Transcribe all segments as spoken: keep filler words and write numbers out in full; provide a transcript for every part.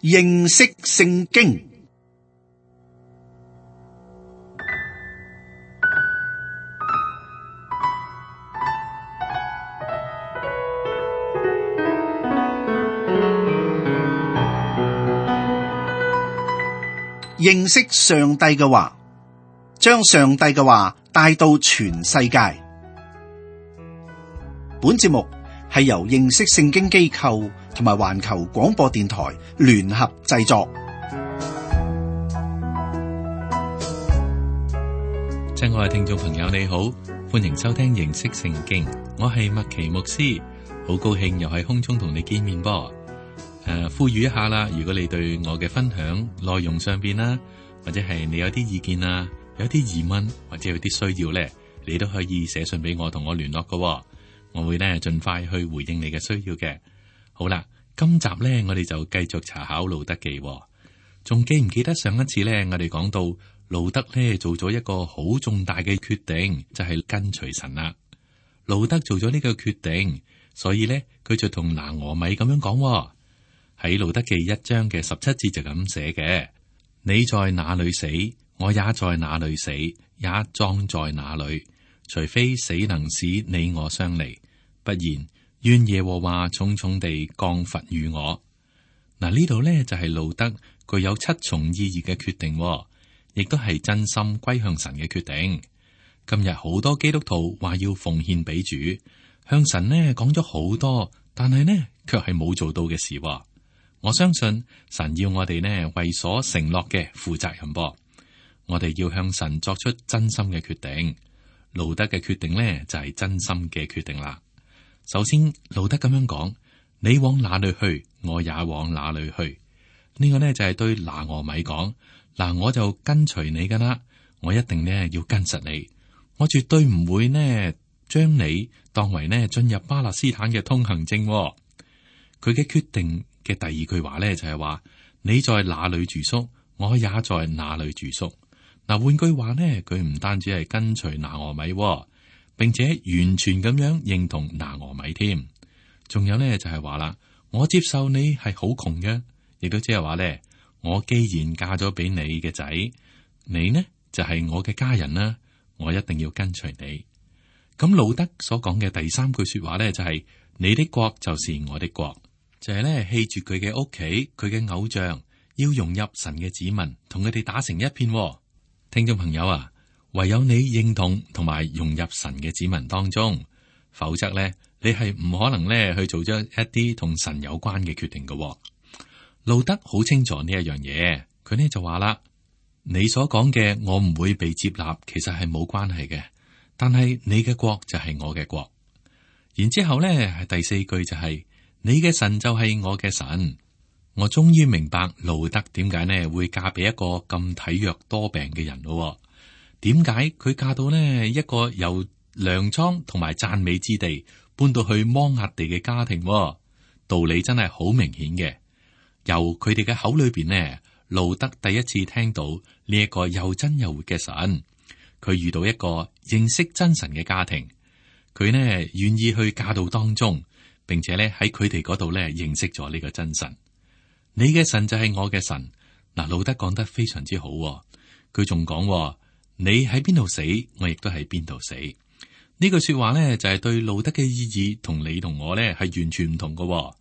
認識聖經。認識上帝嘅話，將上帝嘅話帶到全世界。本節目係由認識聖經機構同埋環球廣播電台聯合製作。親愛嘅聽眾朋友，你好，歡迎收聽認識聖經。我係麥奇牧師，好高興又喺空中同你見面噃。誒、呃，呼籲一下啦，如果你對我嘅分享內容上邊啦，或者係你有啲意見啊，有啲疑問或者有啲需要咧，你都可以寫信俾我，同我聯絡噶。我會咧盡快去回應你嘅需要嘅。好啦，今集咧我哋就繼續查考路德記。仲記唔記得上一次咧我哋講到路德咧做咗一個好重大嘅決定，就係跟隨神啦。路德做咗呢個決定，所以咧佢就同拿俄米咁樣講。喺路德記一章嘅十七節就咁寫嘅：你在哪裏死，我也在哪裏死，也葬在哪裏。除非死能使你我相離，不然願耶和華重重地降罰與我。嗱，呢度呢就係路德具有七重意義嘅決定，亦都係真心歸向神嘅決定。今日好多基督徒話要奉獻俾主，向神呢講咗好多，但係呢卻係冇做到嘅事。我相信神要我哋呢為所承諾嘅負責任噃，我哋要向神作出真心嘅決定。路德嘅決定呢就係真心嘅決定啦。首先，路德咁樣講：你往哪裏去，我也往哪裏去。呢個呢就係對拿俄米講：嗱，我就跟隨你噶啦，我一定呢要跟實你，我絕對唔會呢將你當為呢進入巴勒斯坦嘅通行證。佢嘅決定嘅第二句話咧就係話：你在哪裏住宿，我也在哪裏住宿。嗱，換句話呢，佢唔單止係跟隨拿俄米，並且完全咁樣認同拿俄米添。仲有呢，就係話啦，我接受你係好窮嘅，亦都即係話咧，我既然嫁咗俾你嘅仔，你呢就係我嘅家人啦，我一定要跟隨你。咁路德所講嘅第三句說話咧就係：你的國就是我的國。就係咧棄絕佢嘅屋企，佢嘅偶像，要融入神嘅子民，同佢哋打成一片。聽眾朋友啊，唯有你認同同埋融入神嘅子民當中，否則咧你係唔可能咧去做咗一啲同神有關嘅決定嘅。路德好清楚呢一樣嘢，佢呢就話啦：你所講嘅我唔會被接納，其實係冇關係嘅，但係你嘅國就係我嘅國。然之後咧係第四句就係、是。你嘅神就係我嘅神。我終於明白路德點解呢會嫁俾一個咁體弱多病嘅人咯。點解佢嫁到呢一個由糧倉同埋讚美之地搬到去摩押地嘅家庭？道理真係好明顯嘅。由佢哋嘅口裏邊呢，路德第一次聽到呢一個又真又活嘅神。佢遇到一個認識真神嘅家庭，佢呢願意去嫁到當中。並且咧喺佢哋嗰度咧認識咗呢個真神，你嘅神就係我嘅神。嗱，路德講得非常之好，佢仲講：你喺邊度死，我亦都喺邊度死。呢句說話咧就係對路德嘅意義同你同我咧係完全唔同嘅。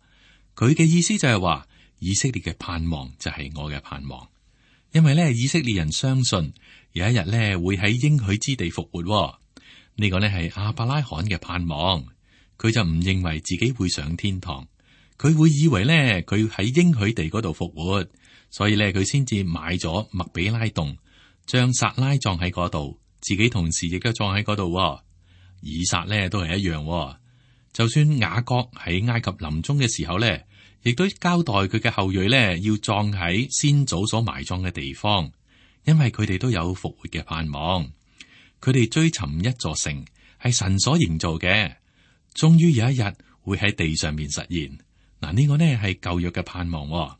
佢嘅意思就係話，以色列嘅盼望就係我嘅盼望，因為咧以色列人相信有一日咧會喺應許之地復活。呢個咧係亞伯拉罕嘅盼望。佢就唔認為自己會上天堂，佢會以為咧佢喺應許地嗰度復活，所以咧佢先至買咗麥比拉洞，將撒拉葬喺嗰度，自己同時亦都葬喺嗰度。以撒咧都係一樣，就算雅各喺埃及臨終嘅時候咧，亦都交代佢嘅後裔咧要葬喺先祖所埋葬嘅地方，因為佢哋都有復活嘅盼望。佢哋追尋一座城，係神所營造嘅。終於有一日會喺地上面實現。嗱，呢個呢係舊約嘅盼望。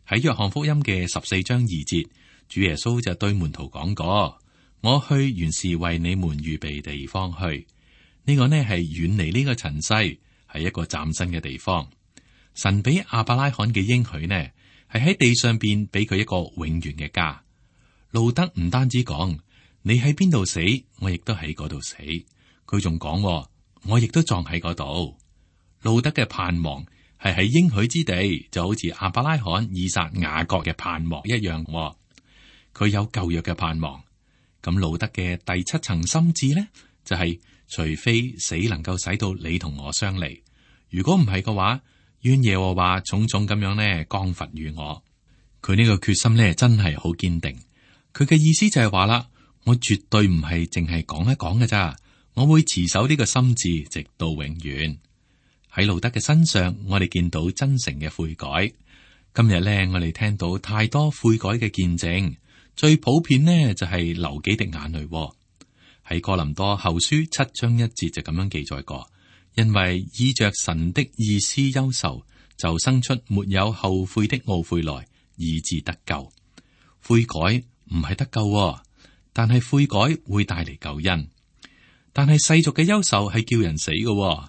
喺約翰福音嘅十四章二節，主耶穌就對門徒講過：我去原是為你們預備地方去。呢個呢係遠離呢個塵世，係一個嶄新嘅地方。神俾亞伯拉罕嘅應許呢，係喺地上邊俾佢一個永遠嘅家。路德唔單止講你喺邊度死，我亦都喺嗰度死，佢仲講我亦都葬喺嗰度。路德嘅盼望係喺應許之地，就好似亞伯拉罕、以撒、雅各嘅盼望一樣。佢有舊約嘅盼望。咁路德嘅第七層心智呢，就係、是、除非死能夠使到你同我相離，如果唔係嘅話，願耶和華重重咁樣呢降罰於我。佢呢個決心呢，真係好堅定。佢嘅意思就係話啦，我絕對唔係淨係講一講嘅咋，我會持守呢個心志直到永遠。喺路德嘅身上，我哋見到真誠嘅悔改。今日呢，我哋聽到太多悔改嘅見證，最普遍呢就係流幾滴眼淚。喺哥林多後書七章一節就咁樣記載過，因為依着神的意思憂愁，就生出沒有後悔的懊悔來，以致得救。悔改唔係得救，但係悔改會帶嚟救恩。但係世俗嘅憂愁係叫人死嘅。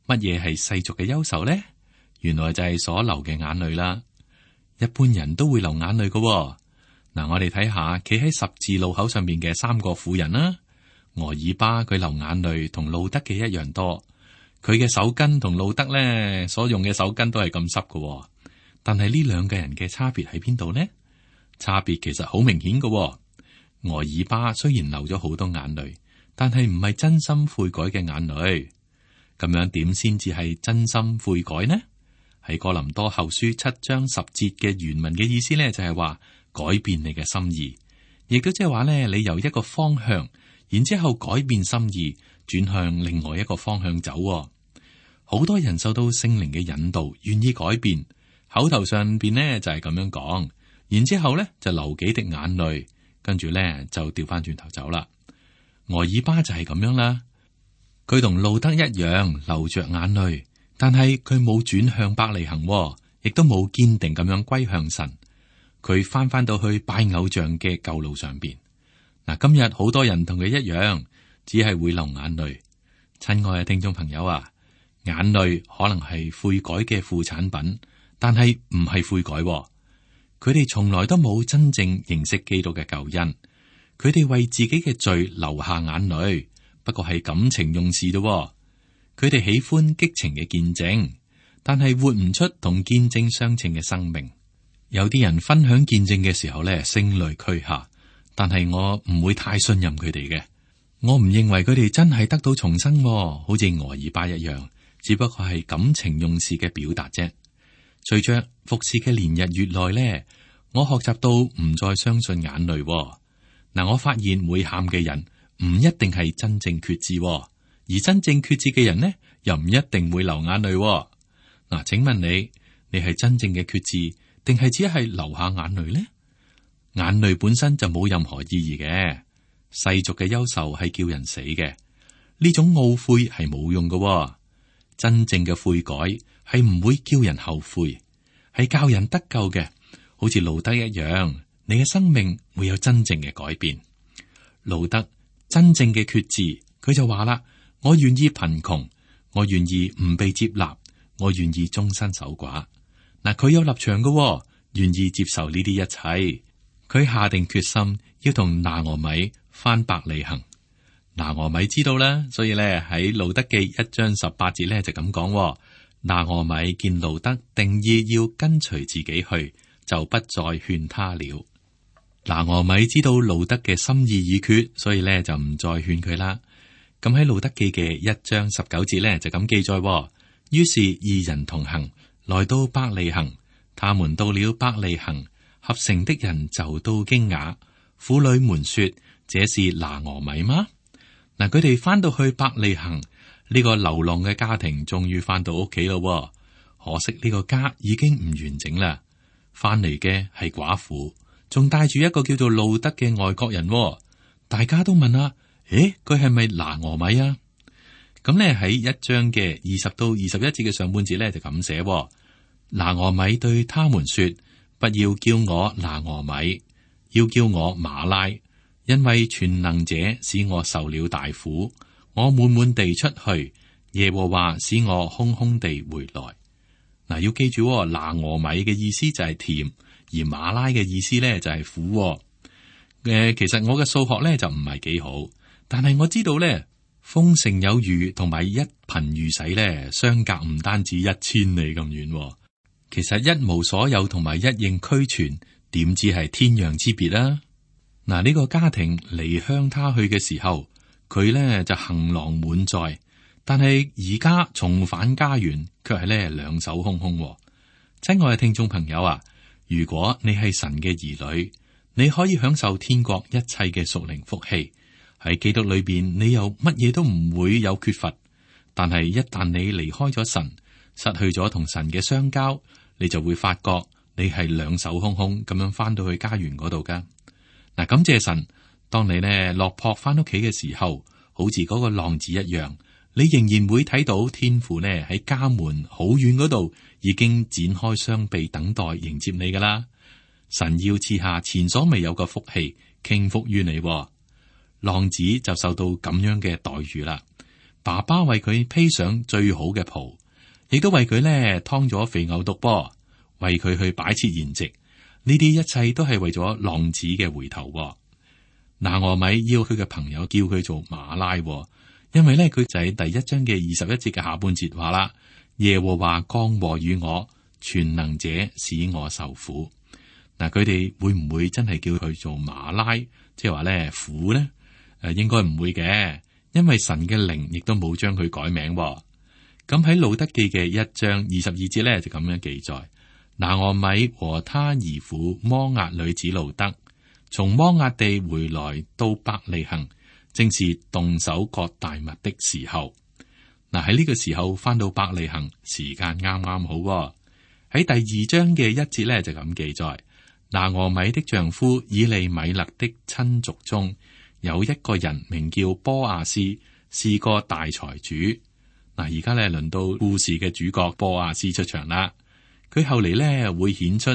乜嘢係世俗嘅憂愁呢？原來就係所流嘅眼淚啦。一般人都會流眼淚嘅。嗱，我哋睇下企喺十字路口上面嘅三個婦人啦。俄爾巴佢流眼淚同路德嘅一樣多，佢嘅手巾同路德咧所用嘅手巾都係咁濕嘅。但係呢兩個人嘅差別喺邊度呢？差別其實好明顯嘅。俄爾巴雖然流咗好多眼淚，但係唔係真心悔改嘅眼淚。咁樣點先至係真心悔改呢？喺哥林多後書七章十節嘅原文嘅意思咧，就係話改變你嘅心意，亦都即係話咧，你由一個方向，然之後改變心意，轉向另外一個方向走。好多人受到聖靈嘅引導，願意改變，口頭上邊呢就係咁樣講，然之後咧就流幾滴眼淚，跟住咧就掉翻轉頭走啦。俄爾巴就係咁樣啦。佢同路德一樣流着眼淚，但係佢冇轉向伯利恆，亦都冇堅定咁樣歸向神。佢翻翻到去拜偶像嘅舊路上邊。嗱，今日好多人同佢一樣，只係會流眼淚。親愛嘅聽眾朋友啊，眼淚可能係悔改嘅副產品，但係唔係悔改。佢哋從來都冇真正認識基督嘅救恩，佢哋為自己嘅罪流下眼淚。不過係感情用事咯，佢哋喜歡激情嘅見證，但係活唔出同見證相稱嘅生命。有啲人分享見證嘅時候咧，聲淚俱下，但係我唔會太信任佢哋嘅。我唔認為佢哋真係得到重生，好似俄爾巴一樣，只不過係感情用事嘅表達啫。隨着服侍嘅年日越耐咧，我學習到唔再相信眼淚。嗱，我發現會喊嘅人唔一定係真正決志，而真正決志嘅人呢，又唔一定會流眼淚。嗱，請問你，你係真正嘅決志，定係只係流下眼淚呢？眼淚本身就冇任何意義嘅，世俗嘅憂愁係叫人死嘅，呢種懊悔係冇用嘅。真正嘅悔改係唔會叫人後悔，係教人得救嘅，好似路德一樣，你嘅生命會有真正嘅改變。路德真正嘅決志，佢就話啦：我願意貧窮，我願意唔被接納，我願意終身守寡。嗱，佢有立場嘅，願意接受呢啲一切。佢下定決心要同拿俄米翻伯利恆。拿俄米知道啦，所以咧喺路德記一章十八節咧就咁講：拿俄米見路德定意要跟隨自己去，就不再勸他了。拿俄米知道路德嘅心意已決，所以咧就唔再勸佢啦。咁喺路德記嘅一章十九節咧就咁記載：於是二人同行，來到伯利恆。他們到了伯利恆，合城的人就都驚訝。婦女們說：這是拿俄米嗎？嗱，佢哋翻到去伯利恆，呢個流浪嘅家庭終於翻到屋企咯。可惜呢個家已經唔完整啦。翻嚟嘅係寡婦，仲帶住一個叫做路德嘅外國人。大家都問啊：誒，佢係咪拿俄米啊？咁咧喺一章嘅二十到二十一節嘅上半節咧就咁寫：拿俄米對他們說：不要叫我拿俄米，要叫我馬拉，因為全能者使我受了大苦，我滿滿地出去，耶和華使我空空地回來。嗱，要記住，拿俄米嘅意思就係甜，而馬拉嘅意思咧就係苦。誒、呃，其實我嘅數學咧就唔係幾好，但係我知道咧，豐盛有餘同埋一貧如洗咧，相隔唔單止一千里咁遠。其實一無所有同埋一應俱全，點知係天壤之別啦。嗱，呢個家庭離鄉他去嘅時候，佢咧就行囊滿載，但係而家重返家園，卻係咧兩手空空。親愛嘅聽眾朋友啊，如果你係神嘅兒女，你可以享受天國一切嘅屬靈福氣。喺基督裏邊，你又乜嘢都唔會有缺乏。但係一旦你離開咗神，失去咗同神嘅相交，你就會發覺你係兩手空空咁樣翻到去家園嗰度噶。嗱，感謝神，當你呢落魄翻屋企嘅時候，好似嗰個浪子一樣，你仍然會睇到天父呢喺家門好遠嗰度已經展開雙臂等待迎接你噶啦。神要賜下前所未有嘅福氣傾福於你。浪子就受到咁樣嘅待遇啦。爸爸為佢披上最好嘅袍，亦都為佢咧劏咗肥牛犢噃，為佢去擺設筵席。呢啲一切都係為咗浪子嘅回頭。拿俄米要佢嘅朋友叫佢做馬拉，因為咧佢就喺第一章嘅二十一節嘅下半節話啦：耶和華降禍與我，全能者使我受苦。嗱，佢哋會唔會真係叫佢做馬拉，即係話咧苦呢？誒，應該唔會嘅，因為神嘅靈亦都冇將佢改名。咁喺路得記嘅一章二十二節咧就咁樣記載：拿俄米和他兒婦摩押女子路得，從摩押地回來到伯利恆，正是動手割大麥的時候。嗱，喺呢個時候翻到伯利恆，時間啱啱好。喺第二章嘅一節咧就咁記載：拿俄米的丈夫以利米勒的親族中，有一個人名叫波阿斯，是個大財主。嗱，而家咧輪到故事嘅主角波阿斯出場啦。佢後嚟咧會顯出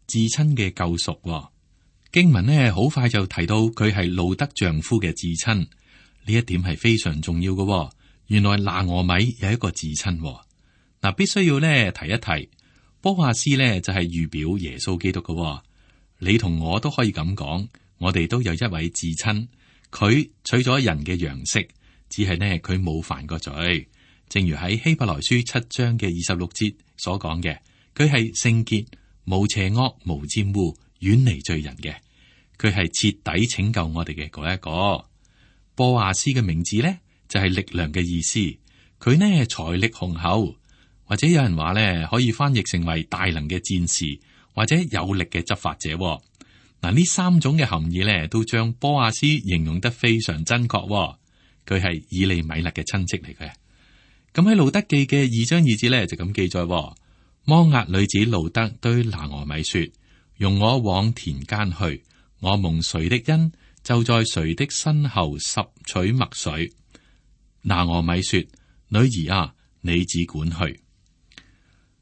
至親嘅救贖。經文呢好快就提到佢係路得丈夫嘅至親，呢一點係非常重要嘅。原來拿俄米有一個至親。嗱，必須要咧提一提，波阿斯咧就係預表耶穌基督嘅。你同我都可以咁講，我哋都有一位至親。佢取咗人嘅樣式，只係呢佢冇犯過罪。正如喺希伯來書七章嘅二十六節所講嘅，佢係聖潔、冇邪惡、無沾污、遠離罪人嘅。佢係徹底拯救我哋嘅嗰一個。波阿斯嘅名字呢，就係力量嘅意思。佢呢財力雄厚，或者有人話呢可以翻譯成為大能嘅戰士，或者有力嘅執法者。嗱，呢三種嘅含義咧，都將波阿斯形容得非常真確。佢係以利米勒嘅親戚嚟嘅。咁喺路得記嘅二章二節咧，就咁記載：摩押女子路得對拿俄米說：容我往田間去，我蒙誰的恩，就在誰的身後拾取麥穗。拿俄米說：女兒啊，你只管去。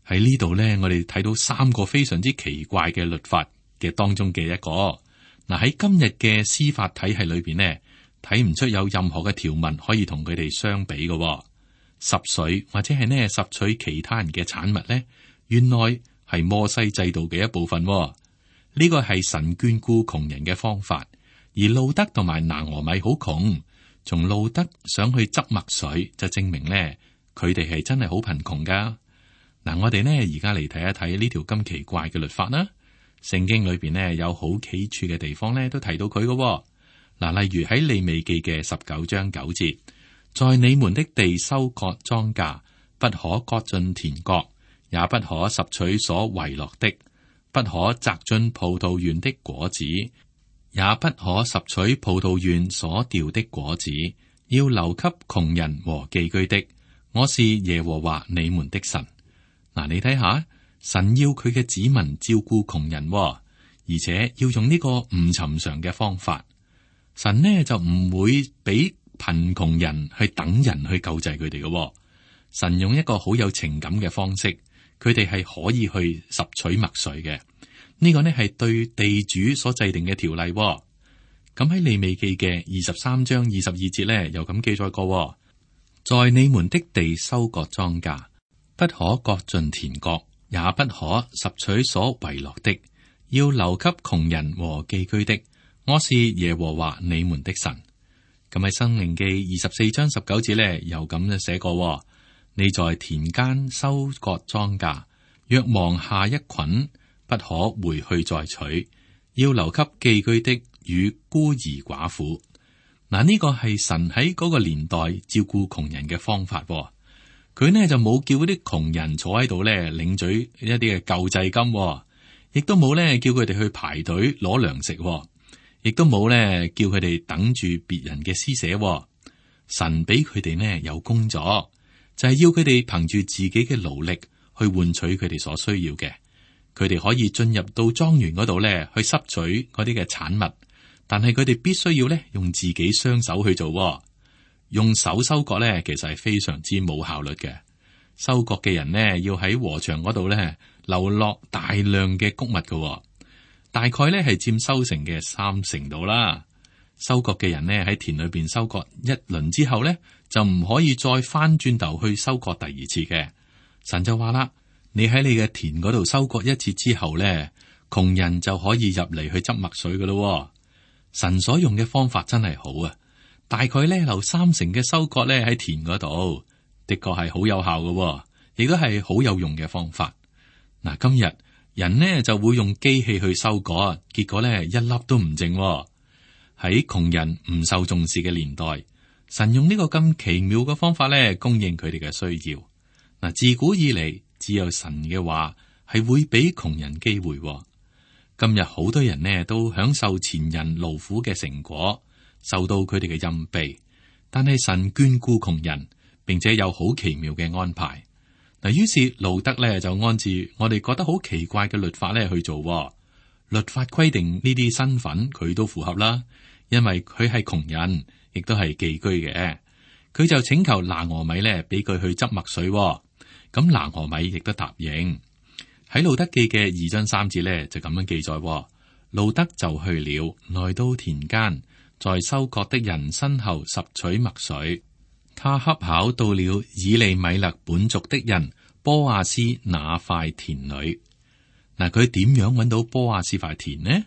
喺呢度咧，我哋睇到三個非常之奇怪嘅律法嘅當中嘅一個。嗱，喺今日嘅司法體系裏邊呢，睇唔出有任何嘅條文可以同佢哋相比嘅。拾穗或者係呢拾取其他人嘅產物呢，原來係摩西制度嘅一部分。呢個係神眷顧窮人嘅方法。而路得同埋拿俄米好窮，從路得想去執麥穗就證明呢，佢哋係真係好貧窮噶。嗱，我哋呢而家嚟睇一睇呢條咁奇怪嘅律法啦。聖經裏邊呢有好幾處嘅地方呢都提到佢嘅。嗱，例如喺利未記嘅十九章九節，在你們的地收割莊稼，不可割盡田角，也不可拾取所遺落的，不可摘盡葡萄園的果子，也不可拾取葡萄園所掉的果子，要留給窮人和寄居的。我是耶和華你們的神。嗱，你睇下，神要佢嘅子民照顧窮人，而且要用呢個唔尋常嘅方法。神呢就唔會俾貧窮人去等人去救濟佢哋嘅。神用一個好有情感嘅方式，佢哋係可以去拾取麥穗嘅。呢個呢係對地主所制定嘅條例。咁喺利未記嘅二十三章二十二節呢，又咁記載過：在你們的地收割莊稼，不可割盡田角，也不可拾取所遺落的，要留給窮人和寄居的。我是耶和華你們的神。咁喺《申命記》二十四章十九節咧，又咁樣寫過：你在田間收割莊稼，若忘下一捆，不可回去再取，要留給寄居的與孤兒寡婦。嗱，呢個係神喺嗰個年代照顧窮人嘅方法。佢呢就冇叫嗰啲窮人坐喺度咧領取一啲嘅救濟金，亦都冇咧叫佢哋去排隊攞糧食，亦都冇咧叫佢哋等住別人嘅施捨。神俾佢哋呢有工作，就係要佢哋憑住自己嘅勞力去換取佢哋所需要嘅。佢哋可以進入到莊園嗰度咧去拾取嗰啲嘅產物，但係佢哋必須要咧用自己雙手去做。用手收割咧，其實係非常之冇效率嘅。收割嘅人呢，要喺禾場嗰度咧流落大量嘅穀物嘅，大概咧係佔收成嘅三成度啦。收割嘅人呢，喺田裏邊收割一輪之後咧，就唔可以再翻轉頭去收割第二次嘅。神就話啦：你喺你嘅田嗰度收割一次之後咧，窮人就可以入嚟去執麥穗噶咯。神所用嘅方法真係好啊！大概咧留三成嘅收割咧喺田嗰度，的確係好有效嘅，亦都係好有用嘅方法。嗱，今日人呢就會用機器去收割，結果咧一粒都唔剩。喺窮人唔受重視嘅年代，神用呢個咁奇妙嘅方法咧供應佢哋嘅需要。嗱，自古以嚟只有神嘅話係會俾窮人機會。今日好多人呢都享受前人勞苦嘅成果，受到佢哋嘅蔭庇，但係神眷顧窮人，並且有好奇妙嘅安排。嗱，於是路德咧就按住我哋覺得好奇怪嘅律法咧去做。律法規定呢啲身份佢都符合啦，因為佢係窮人，亦都係寄居嘅。佢就請求拿俄米咧俾佢去執麥穗，咁拿俄米亦都答應。喺路德記嘅二章三節咧就咁樣記載：路德就去了，來到田間，在收割的人身後拾取麥穗。他恰巧到了以利米勒本族的人波亞斯那塊田裏。嗱，佢點樣揾到波亞斯塊田呢？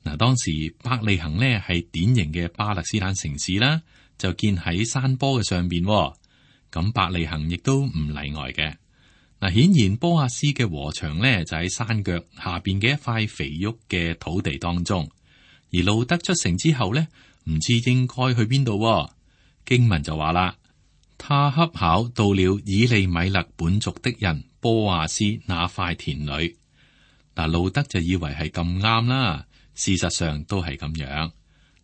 嗱，當時伯利恆呢係典型嘅巴勒斯坦城市啦，就建喺山坡嘅上邊。咁伯利恆亦都唔例外嘅。嗱，顯然波亞斯嘅禾場呢就喺山腳下邊嘅一塊肥沃嘅土地當中。而路德出城之後呢，唔知應該去邊度。經文就話啦，他恰巧到了以利米勒本族的人波亞斯那塊田裏。嗱，路德就以為係咁啱啦，事實上都係咁樣。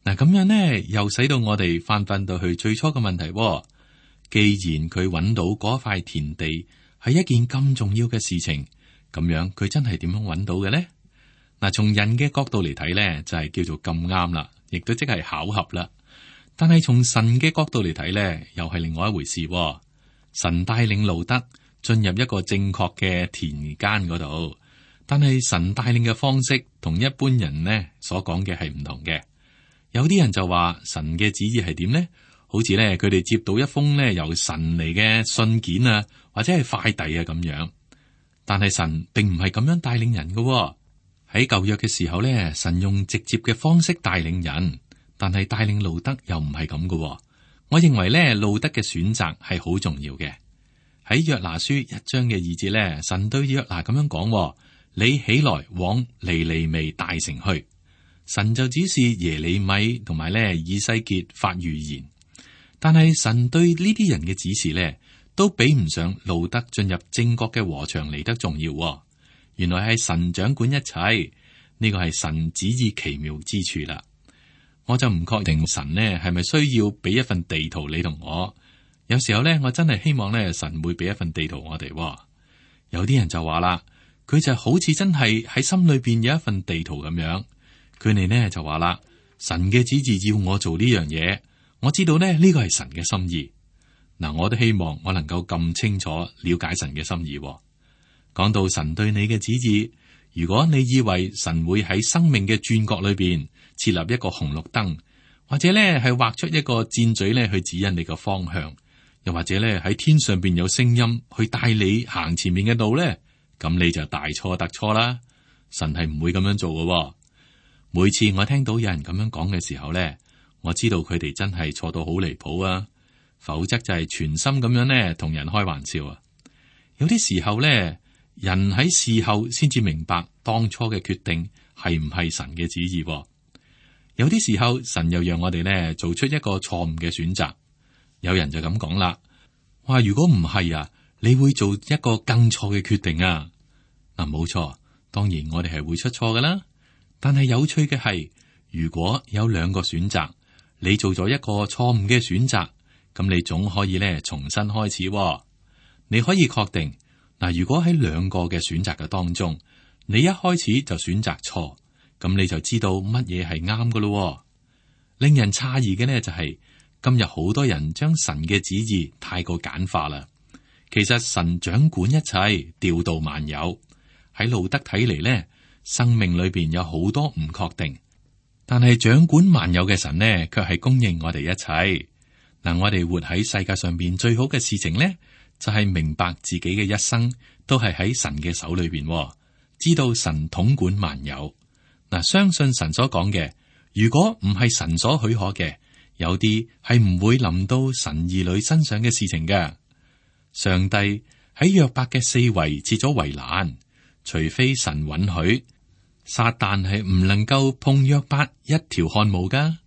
嗱，咁樣呢，又使到我哋翻返到去最初嘅問題。既然佢揾到嗰塊田地係一件咁重要嘅事情，咁樣佢真係點樣揾到嘅呢？嗱，從人嘅角度嚟睇呢，就係叫做咁啱啦，亦都即係巧合啦。但係從神嘅角度嚟睇呢，又係另外一回事。神帶領路德進入一個正確嘅田間嗰度，但係神帶領嘅方式同一般人呢所講嘅係唔同嘅。有啲人就話神嘅旨意係點呢？好似咧佢哋接到一封咧由神嚟嘅信件啊，或者係快遞啊咁樣。但係神並唔係咁樣帶領人嘅。喺舊約嘅時候咧，神用直接嘅方式帶領人，但係帶領路德又唔係咁嘅。我認為咧路德嘅選擇係好重要嘅。喺約拿書一章嘅二節咧，神對約拿咁樣講：你起來往尼尼微大城去。神就指示耶利米同埋咧以西結發預言。但係神對呢啲人嘅指示咧，都比唔上路德進入正確嘅禾場嚟得重要。原來係神掌管一切，呢個係神旨意奇妙之處啦。我就唔確定神呢係咪需要俾一份地圖你同我。有時候咧，我真係希望咧神會俾一份地圖我哋。有啲人就話啦，佢就好似真係喺心裏邊有一份地圖咁樣。佢哋呢就話啦，神嘅旨意要我做呢樣嘢。我知道咧呢個係神嘅心意。嗱，我都希望我能夠咁清楚了解神嘅心意。講到神對你嘅旨意，如果你以為神會喺生命嘅轉角裏邊設立一個紅綠燈，或者咧係畫出一個箭嘴咧去指引你個方向，又或者咧喺天上邊有聲音去帶你行前面嘅路咧，咁你就大錯特錯啦。神係唔會咁樣做嘅。每次我聽到有人咁樣講嘅時候咧，我知道佢哋真係錯到好離譜啊，否則就係全心咁樣咧同人開玩笑啊。有啲時候咧，人喺事後先至明白當初嘅決定係唔係神嘅旨意。有啲時候，神又讓我哋咧做出一個錯誤嘅選擇。有人就咁講啦，話如果唔係啊，你會做一個更錯嘅決定啊。嗱，冇錯，當然我哋係會出錯噶啦。但係有趣嘅係，如果有兩個選擇，你做咗一個錯誤嘅選擇，咁你總可以咧重新開始。你可以確定嗱，如果喺兩個嘅選擇嘅當中，你一開始就選擇錯，咁你就知道乜嘢係啱噶咯。令人詫異嘅呢，就係今日好多人將神嘅旨意太過簡化啦。其實神掌管一切，調度萬有。喺路德睇嚟呢，生命裏邊有好多唔確定，但係掌管萬有嘅神呢，卻係供應我哋一切。嗱，我哋活喺世界上邊最好嘅事情呢，就係明白自己嘅一生都係喺神嘅手裏邊，知道神統管萬有。嗱，相信神所講嘅，如果唔係神所許可嘅，有啲係唔會臨到神兒女身上嘅事情嘅。上帝喺約伯嘅四圍設咗圍欄，除非神允許，撒旦係唔能夠碰約伯一條汗毛噶。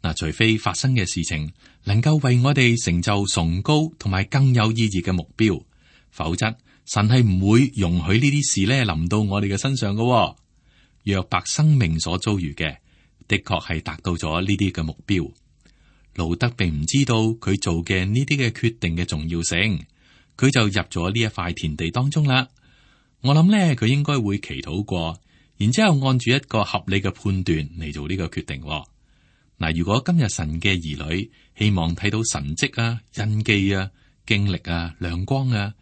嗱，除非發生嘅事情能夠為我哋成就崇高同埋更有意義嘅目標，否則神係唔會容許呢啲事咧臨到我哋嘅身上噶。約伯生命所遭遇嘅，的確係達到咗呢啲嘅目標。路德並唔知道佢做嘅呢啲嘅決定嘅重要性，佢就入咗呢一塊田地當中啦。我諗咧，佢應該會祈禱過，然之後按住一個合理嘅判斷嚟做呢個決定。嗱，如果今日神嘅兒女希望睇到神蹟啊、印記啊、經歷啊、亮光啊、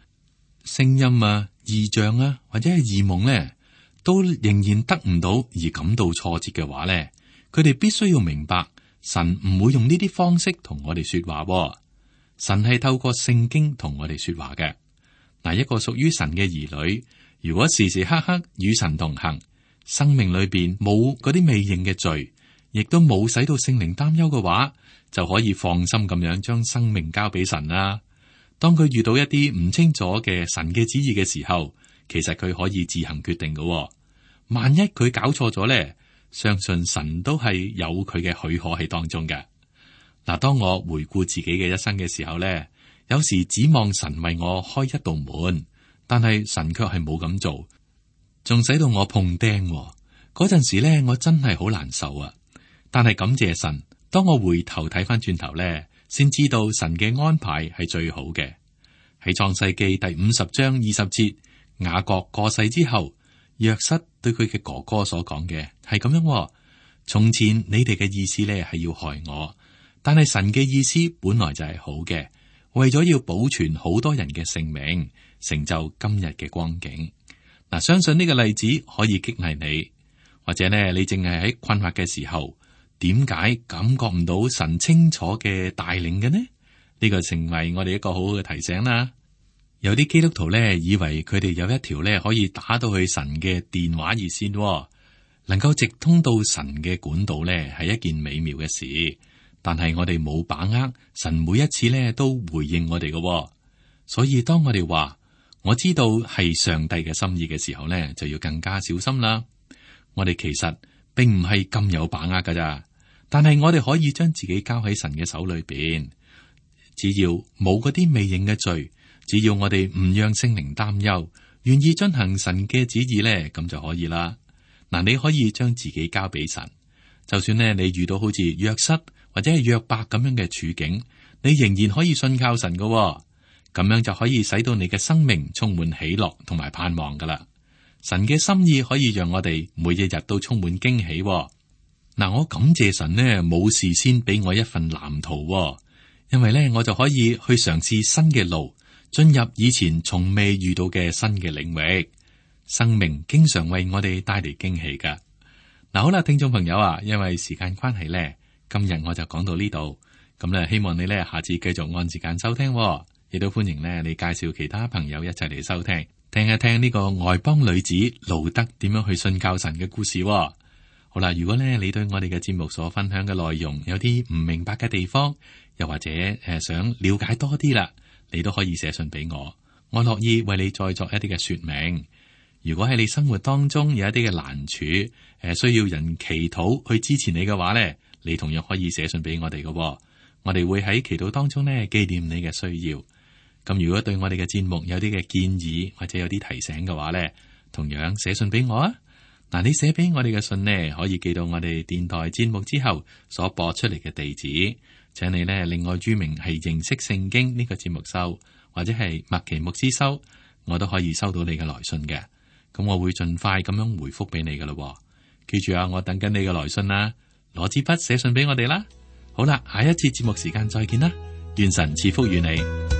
聲音啊、異象啊，或者係異夢咧，都仍然得唔到而感到挫折嘅話咧，佢哋必須要明白，神唔會用呢啲方式同我哋說話。神係透過聖經同我哋說話嘅。嗱，一個屬於神嘅兒女，如果時時刻刻與神同行，生命裏邊冇嗰啲未認嘅罪，亦都冇使到聖靈擔憂嘅話，就可以放心咁樣將生命交俾神啦。當佢遇到一啲唔清楚嘅神嘅旨意嘅時候，其實佢可以自行決定嘅。萬一佢搞錯咗咧，相信神都係有佢嘅許可喺當中嘅。嗱，當我回顧自己嘅一生嘅時候咧，有時指望神為我開一道門，但係神卻係冇咁做，仲使到我碰釘。嗰陣時咧，我真係好難受啊！但係感謝神，當我回頭睇翻轉頭咧，先知道神嘅安排係最好嘅。喺創世記第五十章二十節，雅各過世之後，約瑟對佢嘅哥哥所講嘅係咁樣：從前你哋嘅意思咧係要害我，但係神嘅意思本來就係好嘅，為咗要保存好多人嘅性命，成就今日嘅光景。嗱，相信呢個例子可以激勵你，或者呢，你淨係喺困惑嘅時候，點解感覺唔到神清楚嘅帶領嘅呢？呢個成為我哋一個好好嘅提醒啦。有啲基督徒咧，以為佢哋有一條咧可以打到去神嘅電話熱線，能夠直通到神嘅管道咧，係一件美妙嘅事。但係我哋冇把握神每一次咧都回應我哋嘅，所以當我哋話我知道係上帝嘅心意嘅時候咧，就要更加小心啦。我哋其實並唔係咁有把握噶咋，但係我哋可以將自己交喺神嘅手裏邊，只要冇嗰啲未認嘅罪。只要我哋唔讓聖靈擔憂，願意遵行神嘅旨意咧，咁就可以啦。嗱，你可以將自己交俾神，就算咧你遇到好似約瑟或者係約伯咁樣嘅處境，你仍然可以信靠神噶，咁樣就可以使到你嘅生命充滿喜樂同埋盼望噶啦。神嘅心意可以讓我哋每一日都充滿驚喜。嗱，我感謝神呢，冇事先俾我一份藍圖，因為咧我就可以去嘗試新嘅路。進入以前從未遇到嘅新嘅領域，生命經常為我哋帶嚟驚喜噶。嗱，好啦，聽眾朋友啊，因為時間關係咧，今日我就講到呢度。咁咧，希望你咧下次繼續按時間收聽，亦都歡迎咧你介紹其他朋友一齊嚟收聽。聽一聽呢個外邦女子路德點樣去信靠神嘅故事喎。好啦，如果咧你對我哋嘅節目所分享嘅內容有啲唔明白嘅地方，又或者誒想了解多啲啦，你都可以寫信俾我，我樂意為你再作一啲嘅說明。如果喺你生活當中有一啲嘅難處，誒需要人祈禱去支持你嘅話咧，你同樣可以寫信俾我哋嘅喎。我哋會喺祈禱當中咧紀念你嘅需要。咁如果對我哋嘅節目有啲嘅建議或者有啲提醒嘅話咧，同樣寫信俾我啊。嗱，你寫俾我哋嘅信呢，可以寄到我哋電台節目之後所播出嚟嘅地址，請你呢另外注明係認識聖經呢個節目收，或者係麥奇牧師收，我都可以收到你嘅來信嘅。咁我會盡快咁樣回覆俾你噶啦。記住啊，我等緊你嘅來信啦，攞支筆寫信俾我哋啦。好啦，下一次節目時間再見啦，願神賜福與你。